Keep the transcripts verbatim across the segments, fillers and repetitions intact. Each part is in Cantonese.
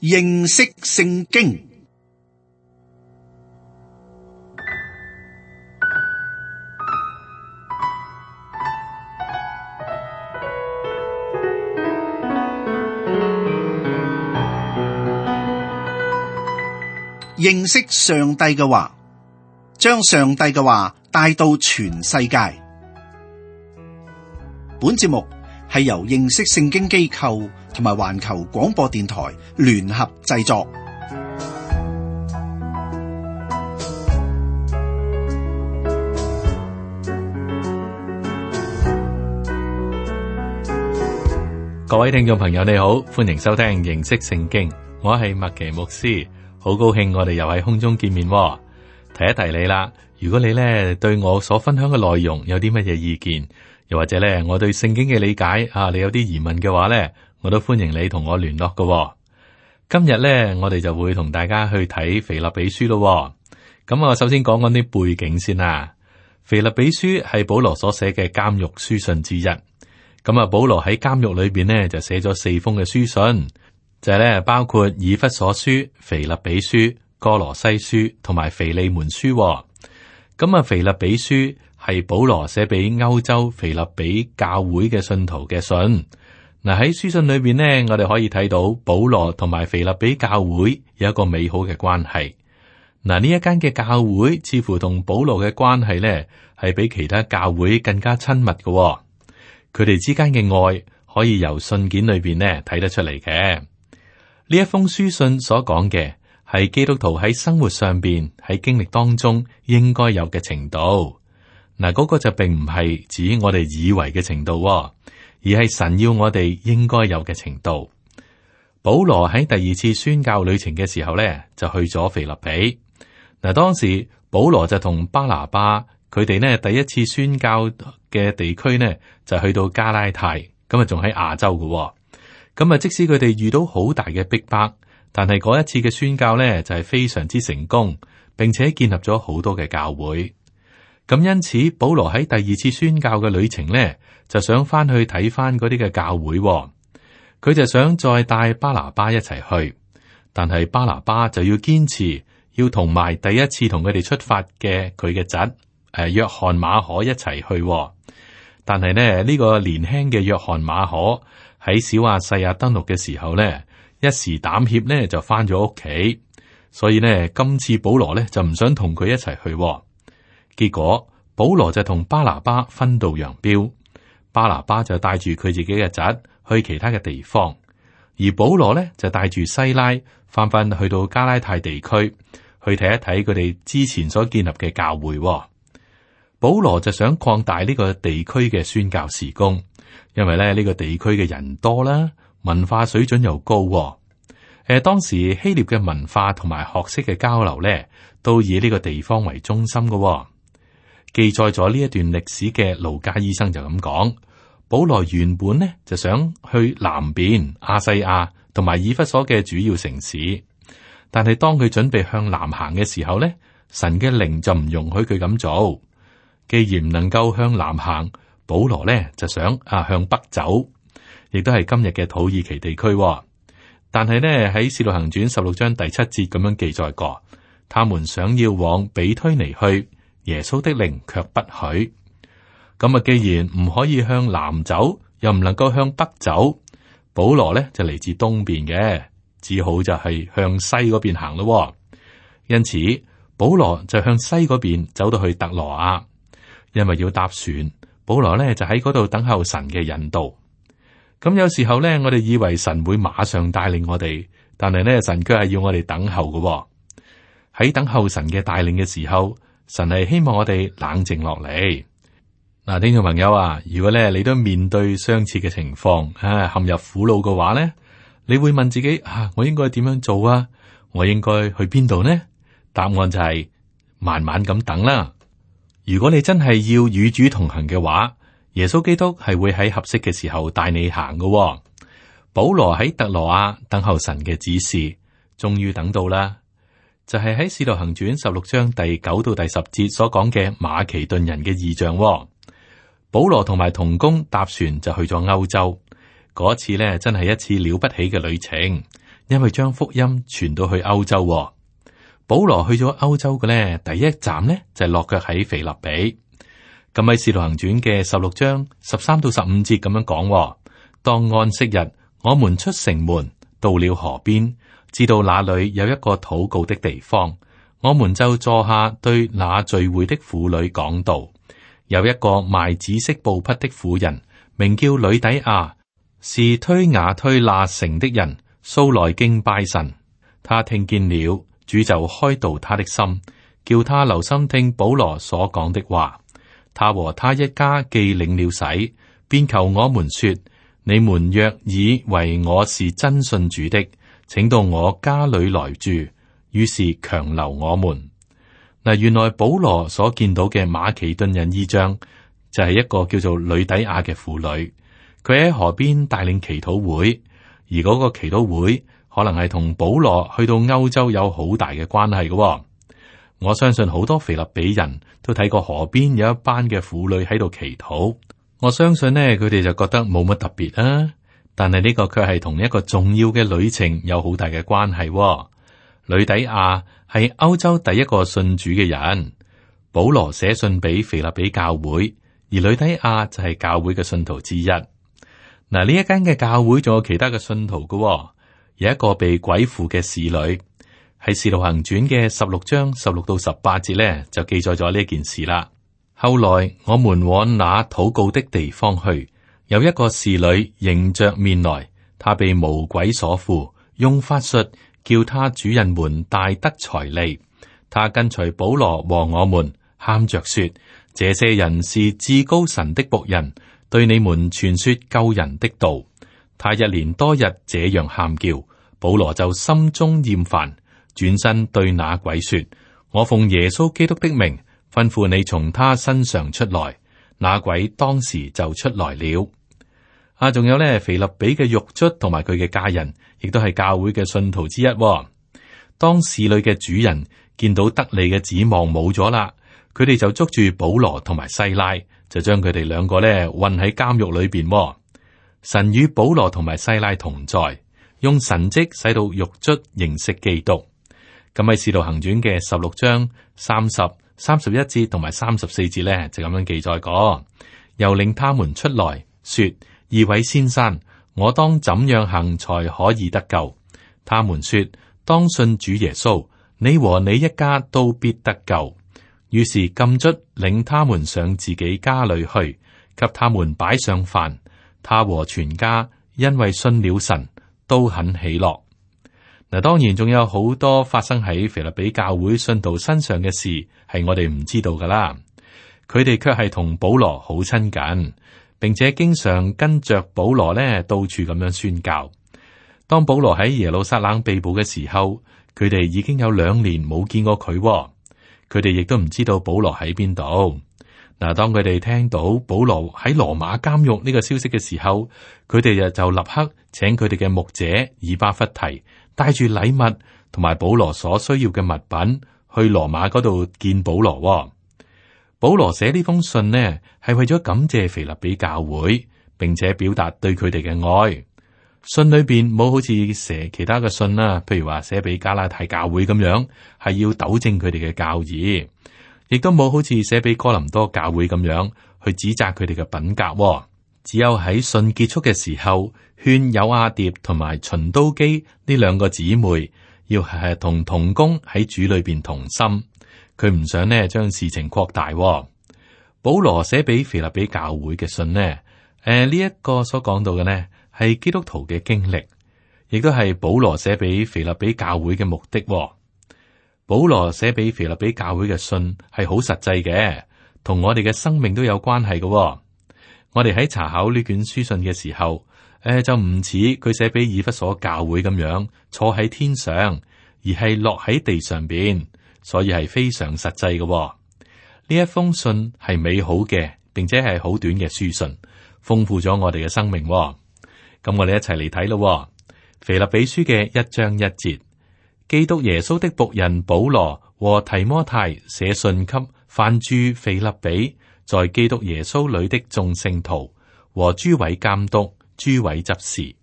認識聖經。認識上帝嘅話，將上帝嘅話帶到全世界。本節目係由認識聖經機構同埋環球廣播電台聯合製作。各位聽眾朋友，你好，歡迎收聽認識聖經，我係麥奇牧師。好高興我哋又喺空中見面，提一提你啦。如果你咧對我所分享嘅內容有啲乜嘢意見，又或者咧我對聖經嘅理解啊，你有啲疑問嘅話咧，我都歡迎你同我聯絡嘅。今日咧我哋就會同大家去睇腓立比書咯。咁我首先講講啲背景先啦。腓立比書係保羅所寫嘅監獄書信之一。咁啊，保羅喺監獄裏邊呢，就寫咗四封嘅書信。就係咧，包括以弗所書、腓立比書、哥羅西書同埋腓利門書。咁啊，腓立比書係保羅寫俾歐洲腓立比教會嘅信徒嘅信。嗱，喺書信裏邊呢，我哋可以睇到保羅同埋腓立比教會有一個美好嘅關係。嗱，呢一間嘅教會似乎同保羅嘅關係呢，係比其他教會更加親密嘅。佢哋之間嘅愛可以由信件裏邊呢睇得出嚟嘅。呢一封書信所講嘅係基督徒喺生活上邊喺經歷當中應該有嘅程度。嗱，嗰個就並唔係指我哋以為嘅程度，而係神要我哋應該有嘅程度。保羅喺第二次宣教旅程嘅時候咧，就去咗腓立比。嗱，當時保羅就同巴拿巴佢哋呢第一次宣教嘅地區呢，就去到加拉太，咁啊仲喺亞洲嘅。咁啊，即使佢哋遇到好大嘅逼迫，但係嗰一次嘅宣教呢，就係非常之成功，並且建立咗好多嘅教會。咁因此，保羅喺第二次宣教嘅旅程呢，就想翻去睇翻嗰啲嘅教會。佢就想再帶巴拿巴一齊去，但係巴拿巴就要堅持要同埋第一次同佢哋出發嘅佢嘅侄誒約翰馬可一齊去。但係呢，呢個年輕嘅約翰馬可喺小亞細亞登陸嘅時候呢，一時膽怯呢就翻咗屋企，所以呢，今次保羅呢就唔想同佢一齊去。結果保羅就同巴拿巴分道揚鑣，巴拿巴就帶住佢自己嘅侄去其他嘅地方，而保羅呢就帶住西拉翻返去到加拉太地區去睇一睇佢哋之前所建立嘅教會。保羅就想擴大呢個地區嘅宣教事工。因為咧呢個地區嘅人多啦，文化水準又高。誒，當時希臘嘅文化同埋學識嘅交流咧，都以呢個地方為中心嘅。記載咗呢一段歷史嘅路加醫生就咁講：保羅原本呢就想去南邊亞細亞同埋以弗所嘅主要城市，但係當佢準備向南行嘅時候咧，神嘅靈就唔容許佢咁做。既然唔能夠向南行，保羅咧就想啊向北走，亦都係今日嘅土耳其地區。但係呢，喺《使徒行傳》十六章第七節咁樣記載過，他們想要往比推尼去，耶穌的靈卻不許。咁啊，既然唔可以向南走，又唔能夠向北走，保羅咧就嚟自東邊嘅，只好就係向西嗰邊行咯。因此，保羅就向西嗰邊走到去特羅亞，因為要搭船。保羅咧就喺嗰度等候神嘅引導。咁有時候咧，我哋以為神會馬上帶領我哋，但係咧神卻係要我哋等候嘅。喺等候神嘅帶領嘅時候，神係希望我哋冷靜落嚟。嗱，聽眾朋友啊，如果咧你都面對相似嘅情況，啊陷入苦惱嘅話咧，你會問自己啊，我應該點樣做啊？我應該去邊度呢？答案就係慢慢咁等啦。如果你真係要與主同行嘅話，耶穌基督係會喺合適嘅時候帶你行嘅。保羅喺特羅亞等候神嘅指示，終於等到啦，就係喺《使徒行傳》十六章第九到第十節所講嘅馬其頓人嘅異象。保羅同埋同工搭船就去咗歐洲，嗰次呢真係一次了不起嘅旅程，因為將福音傳到去歐洲，哦。保羅去咗歐洲嘅咧，第一站呢就係落腳喺腓立比。咁喺《使徒行傳》嘅十六章十三到十五節咁樣講，哦：當安息日，我們出城門，到了河邊，知道那裏有一個禱告的地方，我們就坐下，對那聚會的婦女講道。有一個賣紫色布匹的婦人，名叫呂底亞，是推雅推那城的人，素來敬拜神。他聽見了，主就開導他的心，叫他留心聽保羅所講的話。他和他一家既領了洗，便求我們說：你們若以為我是真信主的，請到我家裏來住。於是強留我們。嗱，原來保羅所見到嘅馬其頓人異象，就係一個叫做呂底亞嘅婦女，佢喺河邊帶領祈禱會，而嗰個祈禱會可能係同保羅去到歐洲有好大嘅關係嘅。我相信好多腓立比人都睇過河邊有一班嘅婦女喺度祈禱，我相信呢，佢哋就覺得冇乜特別啊。但係呢個卻係同一個重要嘅旅程有好大嘅關係。呂底亞係歐洲第一個信主嘅人，保羅寫信俾腓立比教會，而呂底亞就係教會嘅信徒之一。嗱，呢一間嘅教會仲有其他嘅信徒嘅，有一個被鬼附嘅侍女。喺《使徒行傳》嘅十六章十六到十八節咧，就記載咗呢件事啦。後來我們往那禱告的地方去，有一個侍女迎着面來，她被魔鬼所附，用法術叫他主人們大得財利。她跟隨保羅和我們，喊着說：這些人是至高神的僕人，對你們傳說救人的道。她一連多日這樣喊叫，保羅就心中厭煩。轉身對那鬼說：我奉耶穌基督的名吩咐你從他身上出來。那鬼當時就出來了。啊，仲有呢，腓立比嘅獄卒同埋佢嘅家人，亦都係教會嘅信徒之一。當侍女嘅主人見到得利嘅指望冇咗啦，佢哋就捉住保羅同埋西拉，就將佢哋兩個呢困喺監獄裏邊。神與保羅同埋西拉同在，用神蹟使到獄卒認識基督。咁喺《使徒行傳》嘅十六章三十、三十一節同埋三十四節咧，就咁樣記載過。又領他們出來，說：二位先生，我當怎樣行才可以得救？他們說：當信主耶穌，你和你一家都必得救。於是禁卒領他們上自己家裏去，給他們擺上飯。他和全家因為信了神，都很喜樂。嗱，當然仲有好多發生喺腓立比教會信徒身上嘅事，係我哋唔知道噶啦。佢哋卻係同保羅好親近，並且經常跟着保羅呢到處咁樣宣教。當保羅喺耶路撒冷被捕嘅時候，佢哋已經有兩年冇見過佢，佢哋亦都唔知道保羅喺邊度。嗱，當佢哋聽到保羅喺羅馬監獄呢個消息嘅時候，佢哋就就立刻請佢哋嘅牧者以巴弗提帶住禮物同埋保羅所需要嘅物品去羅馬嗰度見保羅。保羅寫呢封信呢，係為咗感謝腓立比教會，並且表達對佢哋嘅愛。信裏邊冇好似寫其他嘅信啦，譬如話寫俾加拉太教會咁樣，係要糾正佢哋嘅教義。亦都冇好似寫俾哥林多教會咁樣去指責佢哋嘅品格。只有喺信結束嘅時候，勸友阿蝶同埋循都基呢兩個姊妹要係同同工喺主裏邊同心。佢唔想呢將事情擴大。保羅寫俾腓立比教會嘅信呢，誒呢一個所講到嘅呢係基督徒嘅經歷，亦都係保羅寫俾腓立比教會嘅目的。保羅寫俾腓立比教會嘅信係好實際嘅，同我哋嘅生命都有關係嘅。我哋喺查考呢卷書信嘅時候，誒、呃、就唔似佢寫俾以弗所教會咁樣坐喺天上，而係落喺地上邊，所以係非常實際嘅。呢一封信係美好嘅，並且係好短嘅書信，豐富咗我哋嘅生命。咁我哋一齊嚟睇咯，腓立比書嘅一章一節。基督耶穌的僕人保羅和提摩太寫信給凡住腓立比，在基督耶穌裏的眾聖徒和諸位監督、諸位執事。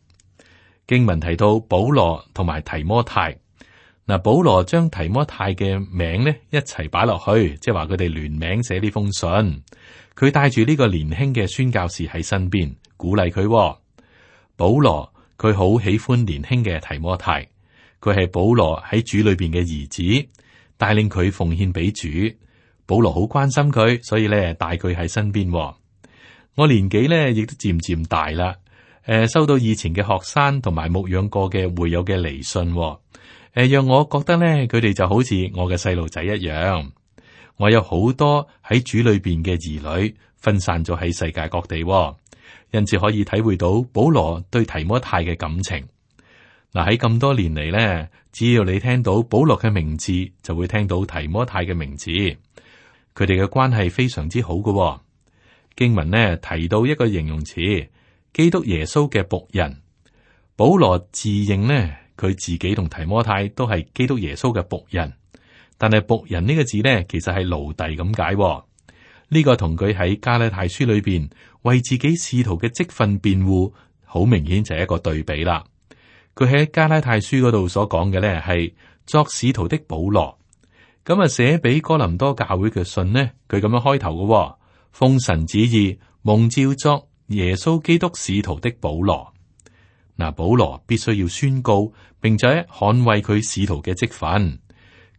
經文提到保羅同埋提摩太，嗱，保羅將提摩太嘅名咧一齊擺落去，即係話佢哋聯名寫呢封信。佢帶住呢個年輕嘅宣教士喺身邊，鼓勵佢。保羅佢好喜歡年輕嘅提摩太，佢係保羅喺主裏邊嘅兒子，帶領佢奉獻俾主。保羅好關心佢，所以咧帶佢喺身邊。我年紀咧亦都漸漸大啦，誒，收到以前嘅學生同埋牧養過嘅會友嘅嚟信，誒，讓我覺得咧佢哋就好似我嘅細路仔一樣。我有好多喺主裏邊嘅兒女分散咗喺世界各地，因此可以體會到保羅對提摩太嘅感情。嗱，喺咁多年嚟咧，只要你聽到保羅嘅名字，就會聽到提摩太嘅名字。佢哋嘅關係非常之好嘅。經文呢提到一個形容詞，基督耶穌嘅僕人。保羅自認呢，佢自己同提摩太都係基督耶穌嘅僕人。但係僕人呢個字呢，其實係奴隸咁解。呢個同佢喺加拉太書裏邊為自己使徒嘅職分辯護，好明顯就係一個對比啦。佢喺加拉太書嗰度所講嘅呢，係作使徒的保羅。咁啊，寫俾哥林多教會嘅信呢，佢咁樣開頭嘅，奉神旨意蒙召作耶穌基督使徒的保羅。嗱，保羅必須要宣告，並且捍衛佢使徒嘅職分。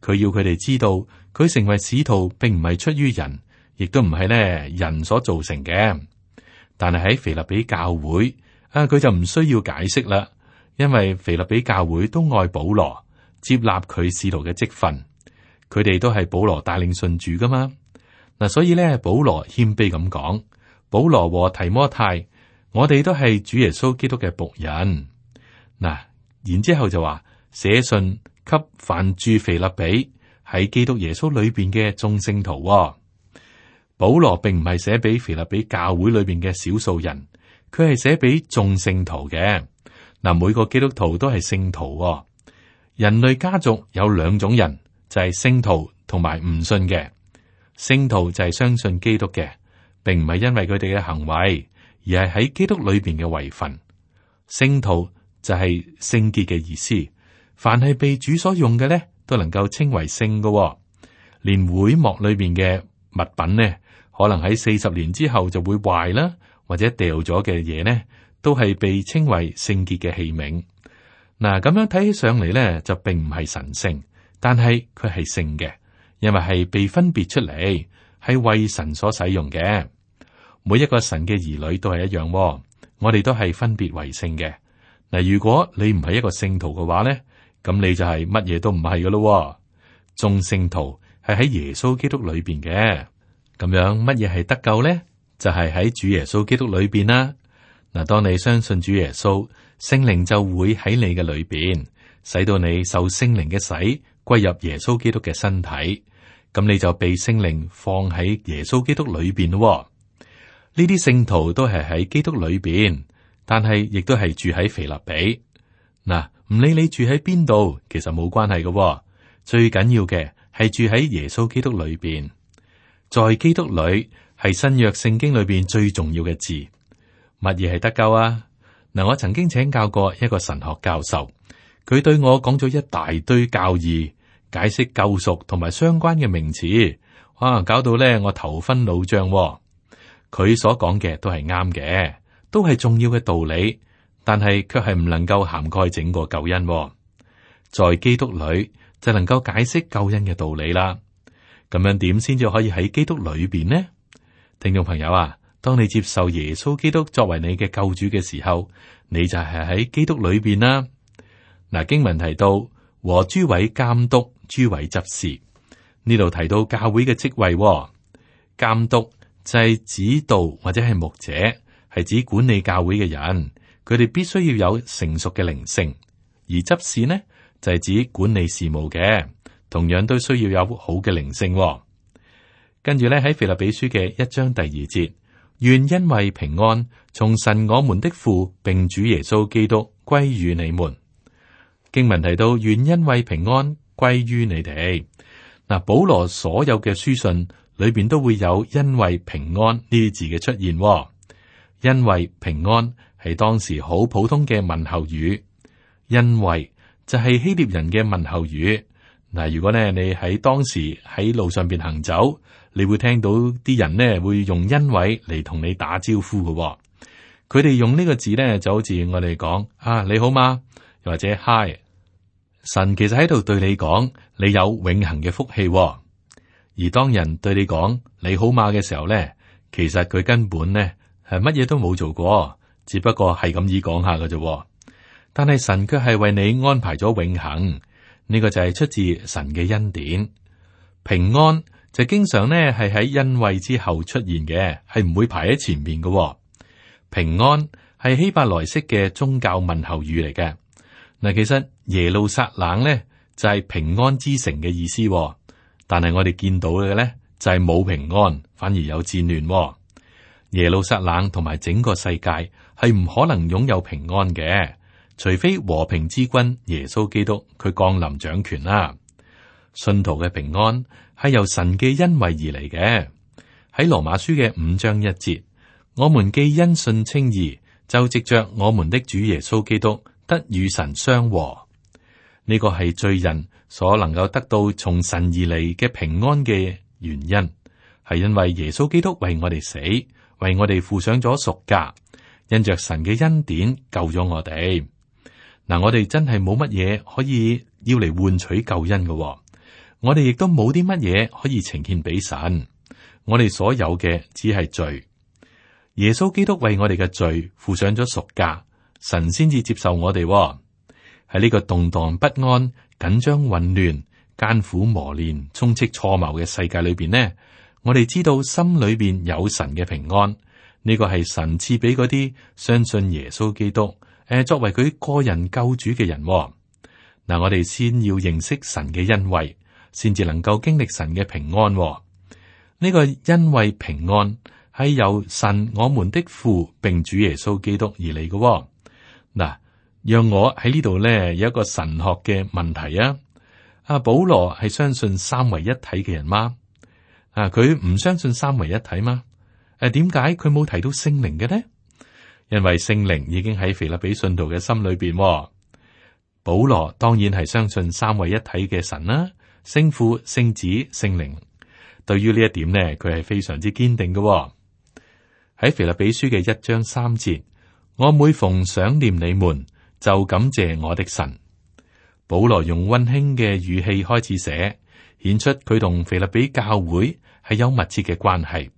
佢要佢哋知道，佢成為使徒並唔係出於人，亦都唔係咧人所造成嘅。但係喺腓立比教會啊，佢就唔需要解釋啦，因為腓立比教會都愛保羅，接納佢使徒嘅職分。佢哋都係保羅帶領信主噶嘛。嗱，所以咧，保羅謙卑咁講，保羅和提摩太，我哋都係主耶穌基督嘅僕人。嗱，然之後就話寫信給凡住腓立比喺基督耶穌裏邊嘅眾聖徒。保羅並唔係寫俾腓立比教會裏邊嘅少數人，佢係寫俾眾聖徒嘅。嗱，每個基督徒都係聖徒。人類家族有兩種人，就係聖徒同埋唔信嘅。聖徒就係相信基督嘅，並唔係因為佢哋嘅行為，而係喺基督裏邊嘅位份。聖徒就係聖潔嘅意思。凡係被主所用嘅咧，都能夠稱為聖嘅。連會幕裏邊嘅物品呢，可能喺四十年之後就會壞啦，或者掉咗嘅嘢呢，都係被稱為聖潔嘅器皿。嗱，咁樣睇起上嚟咧，就並唔係神聖，但係佢係聖嘅，因為係被分別出嚟，係為神所使用嘅。每一個神嘅兒女都係一樣，我哋都係分別為聖嘅。嗱，如果你唔係一個聖徒嘅話咧，咁你就係乜嘢都唔係噶咯。眾聖徒係喺耶穌基督裏邊嘅，咁樣乜嘢係得救咧？就係喺主耶穌基督裏邊啦。嗱，當你相信主耶穌，聖靈就會喺你嘅裏邊，使到你受聖靈嘅洗，歸入耶穌基督嘅身體。咁你就被聖靈放喺耶穌基督裏邊咯。呢啲聖徒都係喺基督裏邊，但係亦都係住喺腓立比。嗱，唔理你住喺邊度，其實冇關係嘅。最緊要嘅係住喺耶穌基督裏邊，在基督裏係新約聖經裏邊最重要嘅字。乜嘢係得救啊？嗱，我曾經請教過一個神學教授，佢對我講咗一大堆教義，解釋救贖同埋相關嘅名詞，哇，搞到咧我頭昏腦脹。佢所講嘅都係啱嘅，都係重要嘅道理。但係卻係唔能夠涵蓋整個救恩。在基督裏就能夠解釋救恩嘅道理啦。咁樣點先至可以喺基督裏邊呢？聽眾朋友啊，當你接受耶穌基督作為你嘅救主嘅時候，你就係喺基督裏邊啦。嗱，經文提到和諸位監督、諸位執事，呢度提到教會嘅職位。監督就係指導或者係牧者，係指管理教會嘅人。佢哋必須要有成熟嘅靈性，而執事呢就係指管理事務嘅，同樣都需要有好嘅靈性。跟住咧喺腓立比書嘅一章第二節，願恩惠平安從神我們的父並主耶穌基督歸於你們。經文提到願恩惠平安歸於你哋。嗱，保羅所有嘅書信裏邊都會有恩惠平安呢啲字嘅出現。恩惠平安係當時好普通嘅問候語。因為就係希臘人嘅問候語。嗱，如果咧你喺當時喺路上邊行走，你會聽到啲人呢會用因為嚟同你打招呼嘅。佢哋用呢個字呢，就好似我哋講啊，你好嗎？又或者 Hi。神其實喺度對你講，你有永恆嘅福氣。而當人對你講你好嗎嘅時候呢，其實佢根本呢係乜嘢都冇做過，只不過係咁意講下嘅啫。但係神卻係為你安排咗永恆，呢個就係出自神嘅恩典。平安就經常呢係喺因為之後出現嘅，係唔會排喺前面嘅。平安係希伯來式嘅宗教問候語嚟嘅。嗱，其實耶路撒冷呢就係平安之城嘅意思，但係我哋見到嘅呢就係冇平安，反而有戰亂。耶路撒冷同埋整個世界係唔可能擁有平安嘅，除非和平之君耶穌基督佢降臨掌權啦。信徒嘅平安係由神嘅恩惠而嚟嘅。喺羅馬書嘅五章一節，我們既因信稱義，就藉着我們的主耶穌基督得與神相和。呢個係罪人所能夠得到從神而嚟嘅平安嘅原因，係因為耶穌基督為我哋死，為我哋付上咗贖價，因着神嘅恩典救咗我哋。嗱，我哋真係冇乜嘢可以要嚟換取救恩嘅，我哋亦都冇啲乜嘢可以呈獻俾神。我哋所有嘅只係罪，耶穌基督為我哋嘅罪付上咗贖價，神先至接受我哋。喺呢個動盪不安、緊張混亂、艱苦磨練、充斥錯謬嘅世界裏邊呢，我哋知道心裏邊有神嘅平安。呢個係神賜俾嗰啲相信耶穌基督誒，作為佢個人救主嘅人。嗱，我哋先要認識神嘅恩惠，先至能夠經歷神嘅平安。呢個恩惠平安係由神我們的父並主耶穌基督而嚟嘅。嗱，讓我喺呢度咧有一個神學嘅問題啊！阿保羅係相信三位一體嘅人嗎？啊，佢唔相信三位一體嗎？誒，點解佢冇提到聖靈嘅呢？因為聖靈已經喺腓立比信徒嘅心裏邊。保羅當然係相信三位一體嘅神啦，聖父、聖子、聖靈。對於呢一點呢，佢係非常之堅定嘅。喺腓立比書嘅一章三節，我每逢想念你們，就感謝我的神。保羅用溫馨嘅語氣開始寫，顯出佢同腓立比教會係有密切嘅關係。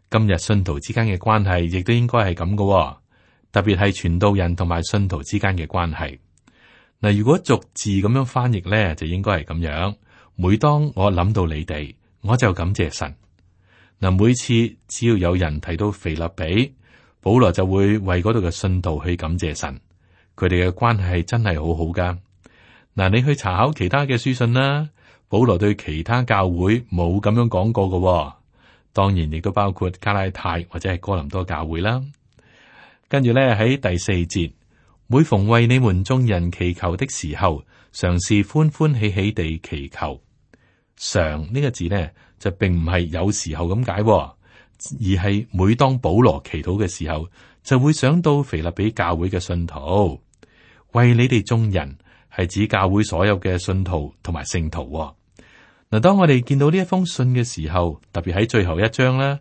今日信徒之間嘅關係亦都應該係咁嘅，特別係傳道人同埋信徒之間嘅關係。嗱，如果逐字咁樣翻譯咧，就應該係咁樣。每當我諗到你哋，我就感謝神。嗱，每次只要有人提到腓立比，保羅就會為嗰度嘅信徒去感謝神。佢哋嘅關係真係好好噶。嗱，你去查考其他嘅書信啦，保羅對其他教會冇咁樣講過嘅。當然亦都包括加拉太或者係哥林多教會啦。跟住咧喺第四節，每逢為你們眾人祈求的時候，常是歡歡喜喜地祈求。常呢個字呢，就並唔係有時候咁解，而係每當保羅祈禱嘅時候，就會想到腓立比教會嘅信徒，為你哋眾人係指教會所有嘅信徒同埋聖徒。嗱，當我哋見到呢一封信嘅時候，特別喺最後一章啦，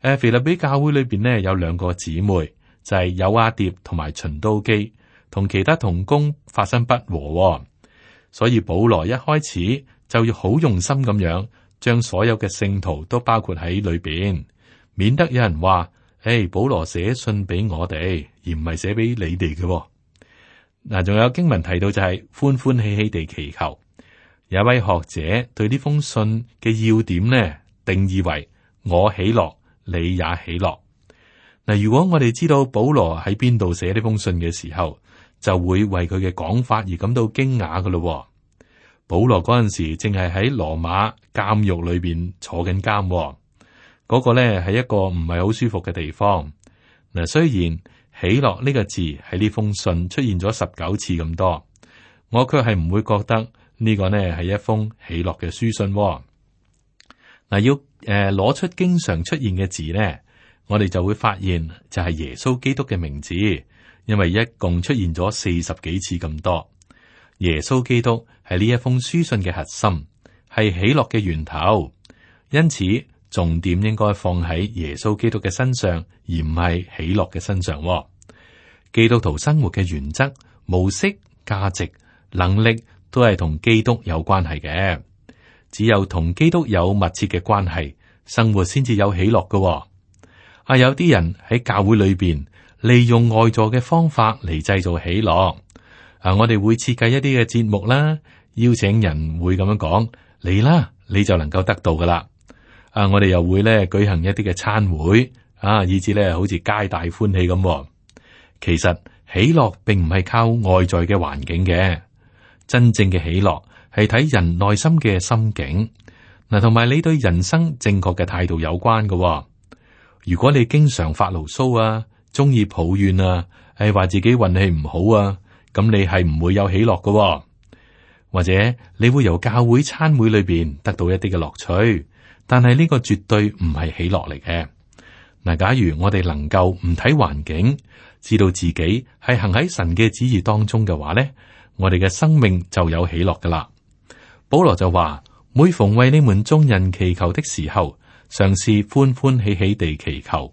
誒，腓立比教會裏邊呢有兩個姊妹，就係友阿蝶同埋循都基，同其他同工發生不和，所以保羅一開始就要好用心咁樣將所有嘅聖徒都包括喺裏邊，免得有人話：誒，保羅寫信俾我哋，而唔係寫俾你哋嘅。嗱，仲有經文提到就係歡歡喜喜地祈求。有一位學者對呢封信嘅要點呢，定義為我喜樂，你也喜樂。嗱，如果我哋知道保羅喺邊度寫呢封信嘅時候，就會為佢嘅講法而感到驚訝㗎咯。保羅嗰陣時正係喺羅馬監獄裏邊坐緊監，嗰個呢係一個唔係好舒服嘅地方。嗱，雖然喜樂呢個字喺呢封信出現咗十九次咁多，我卻係唔會覺得呢個呢係一封喜樂嘅書信。嗱，要誒攞出經常出現嘅字呢，我哋就會發現就係耶穌基督嘅名字，因為一共出現咗四十幾次咁多。耶穌基督係呢一封書信嘅核心，係喜樂嘅源頭，因此重點應該放喺耶穌基督嘅身上，而唔係喜樂嘅身上。基督徒生活嘅原則、模式、價值、能力都係同基督有關係嘅。只有同基督有密切嘅關係，生活先至有喜樂嘅。啊，有啲人喺教會裏邊利用外在嘅方法嚟製造喜樂。啊，我哋會設計一啲嘅節目啦，邀請人會咁樣講，嚟啦，你就能夠得到噶啦。啊，我哋又會咧舉行一啲嘅餐會，啊，以至咧好似皆大歡喜咁。其實喜樂並唔係靠外在嘅環境嘅，真正嘅喜樂係睇人內心嘅心境，嗱，同埋你對人生正確嘅態度有關嘅。如果你經常發牢騷啊，中意抱怨啊，係話自己運氣唔好啊，咁你係唔會有喜樂嘅。或者你會由教會餐會裏邊得到一啲嘅樂趣，但係呢個絕對唔係喜樂嚟嘅。嗱，假如我哋能夠唔睇環境，知道自己係行喺神嘅旨意當中嘅話咧，我哋嘅生命就有喜樂噶啦。保羅就話：每逢為你們眾人祈求的時候，嘗試歡歡喜喜地祈求。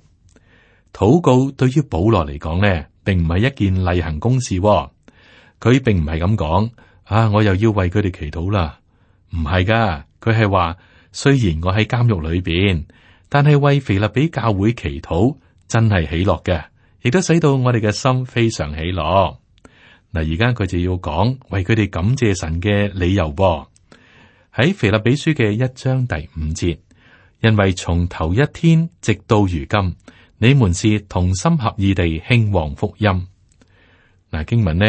禱告對於保羅嚟講咧，並唔係一件例行公事。佢並唔係咁講啊，我又要為佢哋祈禱啦。唔係噶，佢係話雖然我喺監獄裏邊，但係為腓立比教會祈禱真係喜樂嘅，亦都使到我哋嘅心非常喜樂。嗱，而家佢就要講為佢哋感謝神嘅理由噃。喺腓立比書嘅一章第五節，因為從頭一天直到如今，你們是同心合意地興旺福音。嗱，經文呢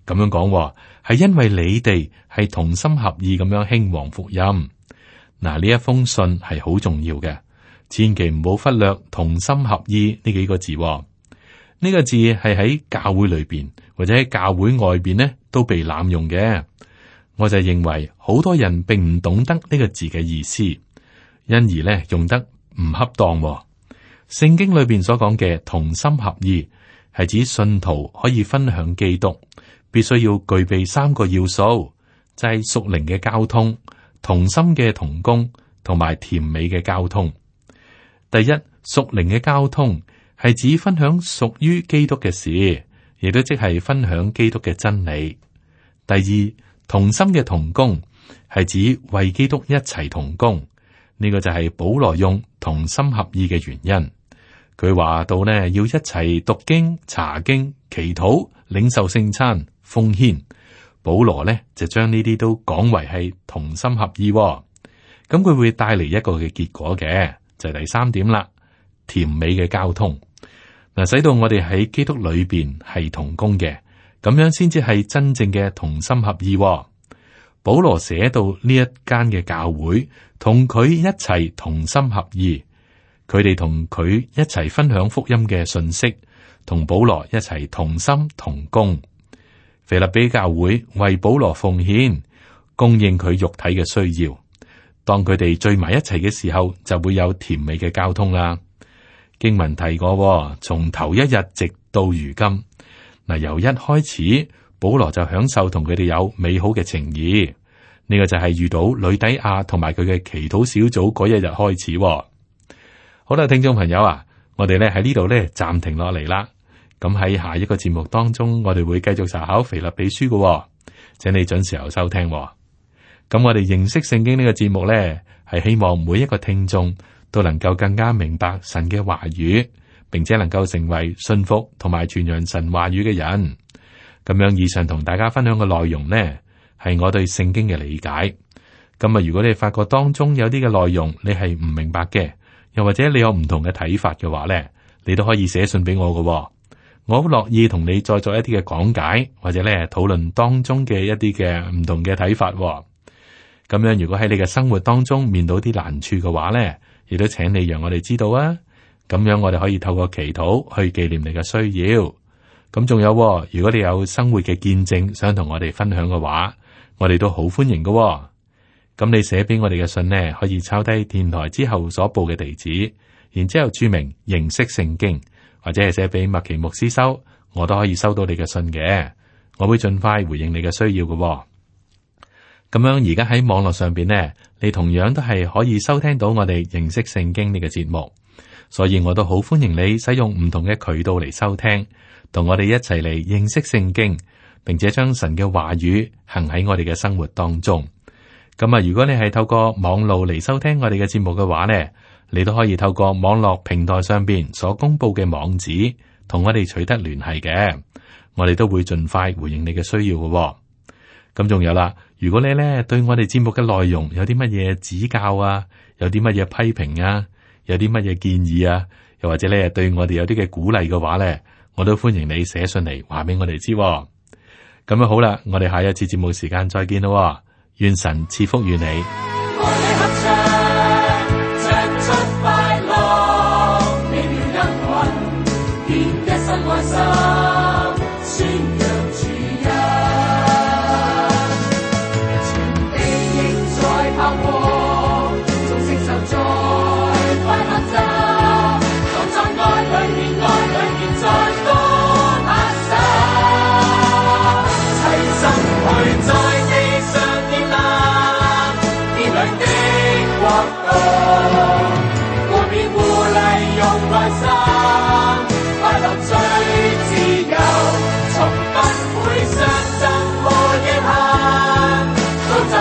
咁樣講，係因為你哋係同心合意咁樣興旺福音。嗱，呢一封信係好重要嘅，千祈唔好忽略同心合意呢幾個字。呢個字係喺教會裏邊或者喺教會外邊呢都被濫用嘅。我就認為好多人並唔懂得呢個字嘅意思，因而呢用得唔恰當。聖經裏邊所講嘅同心合意，係指信徒可以分享基督，必須要具備三個要素，就係屬靈嘅交通、同心嘅同工同埋甜美嘅交通。第一，屬靈嘅交通係指分享屬於基督嘅事，亦都即係分享基督嘅真理。第二，同心嘅同工係指為基督一齊同工，呢、這個就係保羅用同心合意嘅原因。佢話到呢，要一齊讀經、查經、祈禱、領受聖餐、奉獻。保羅呢就將呢啲都講為係同心合意，咁佢會帶嚟一個嘅結果嘅，就係、是、第三點啦，甜美嘅交通嗱，使到我哋喺基督裏邊係同工嘅，咁樣先至係真正嘅同心合意。保羅寫到呢一間嘅教會同佢一齊同心合意。佢哋同佢一齊分享福音嘅信息，同保羅一齊同心同工。腓立比教會為保羅奉獻，供應佢肉體嘅需要。當佢哋聚埋一齊嘅時候，就會有甜美嘅交通啦。經文提過，從頭一日直到如今，嗱，由一開始保羅就享受同佢哋有美好嘅情誼。呢、這個就係遇到呂底亞同埋佢嘅祈禱小組嗰一日開始。好啦，聽眾朋友啊，我哋咧喺呢度咧暫停落嚟啦。咁喺下一個節目當中，我哋會繼續查考腓立比書嘅，請你準時候收聽。咁我哋認識聖經呢個節目咧，係希望每一個聽眾都能夠更加明白神嘅話語，並且能夠成為信服同埋傳揚神話語嘅人。咁樣以上同大家分享嘅內容呢，係我對聖經嘅理解。咁啊，如果你發覺當中有啲嘅內容你係唔明白嘅，又或者你有唔同嘅睇法嘅話咧，你都可以寫信俾我嘅，我好樂意同你再做一啲嘅講解，或者咧討論當中嘅一啲嘅唔同嘅睇法。咁樣如果喺你嘅生活當中面對啲難處嘅話咧，亦都請你讓我哋知道啊。咁樣我哋可以透過祈禱去紀念你嘅需要。咁仲有，如果你有生活嘅見證想同我哋分享嘅話，我哋都好歡迎嘅。咁你寫俾我哋嘅信呢，可以抄低電台之後所報嘅地址，然之後注明認識聖經，或者係寫俾麥奇牧師收，我都可以收到你嘅信嘅，我會盡快回應你嘅需要嘅。咁樣而家喺網絡上邊呢，你同樣都係可以收聽到我哋認識聖經呢個節目，所以我都好歡迎你使用唔同嘅渠道嚟收聽，同我哋一齊嚟認識聖經，並且將神嘅話語行喺我哋嘅生活當中。咁啊，如果你係透過網路嚟收聽我哋嘅節目嘅話呢，你都可以透過網絡平台上邊所公布嘅網址，同我哋取得聯繫嘅，我哋都會盡快回應你嘅需要嘅。咁仲有啦，如果你咧對我哋節目嘅內容有啲乜嘢指教啊，有啲乜嘢批評啊，有啲乜嘢建議啊，又或者咧對我哋有啲嘅鼓勵嘅話咧，我都歡迎你寫信嚟話俾我哋知。咁樣好啦，我哋下一次節目時間再見咯，願神賜福於你。從不會相爭和遺憾，都就